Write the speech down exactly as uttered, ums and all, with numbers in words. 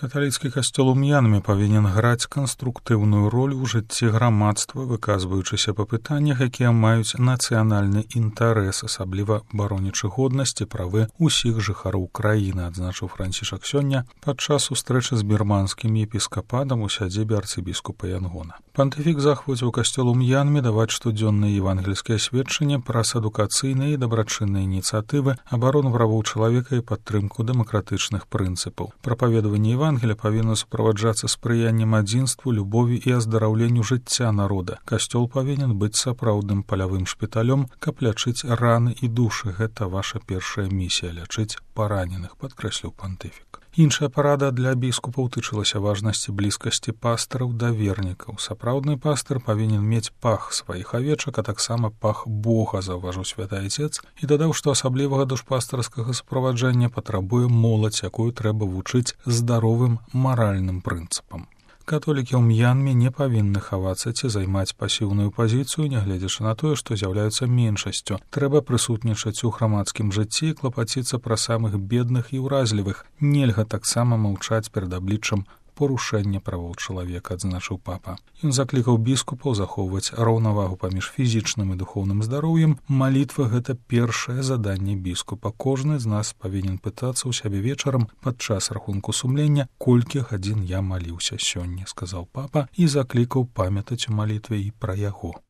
Каталіцкі касцёл у М'янме павінен граць канструктыўную ролю ў жыцці грамадства, выказваючыся па пытаннях, якія маюць нацыянальны інтарэс, асабліва баронячы годнасці правы ўсіх жыхароў краіны, адзначыў Францішак сёння падчас сустрэчы з бірманскім епіскапатам у сядзібе арцыбіскупа Янгона. Пантыфік захваціў касцёл у М'янме даваць штодзённыя евангельскія сведчанні праз адукацыйныя і дабрачынныя ініцыятывы, абарону правоў чалавека і падтрымку дэмакратычных прынцыпаў. Прапаведаванне Евангелія павінна суправаджацца спрыяннем адзінству, любові і аздараўленню жыцця народа. Касцёл павінен быць сапраўдным палявым шпіталём, каб лячыць раны і душы. Гэта ваша першая місія — лячыць параненых, падкрэсліў пантыфік. Іншая парада для біскупаў тычылася важнасці блізкасці пастыраў да вернікаў. Сапраўдны пастыр павінен мець пах сваіх авечак, а таксама пах Бога, заўважыў святы айцец, і дадаў, што асаблівага душпастырскага суправаджання патрабуе моладзь, якую трэба вучыць здаровым маральным прынцыпам. Католікі ў М'янме не павінны хавацца ці займаць пасіўную пазіцыю, нягледзячы на тое, што з'яўляюцца меншасцю. Трэба прысутнічаць у грамадскім жыцці і клапаціцца пра самых бедных і ўразлівых. Нельга таксама маўчаць перад абліччам парушэння правоў чалавека, адзначыў папа. Ён заклікаў біскупаў захоўваць раўнавагу паміж фізічным і духоўным здароўем. Малітва — гэта першае заданне біскупа. Кожны з нас павінен пытацца ў сябе вечарам падчас рахунку сумлення, колькі гадзін я маліўся сёння, сказаў папа і заклікаў памятаць у малітве і пра яго.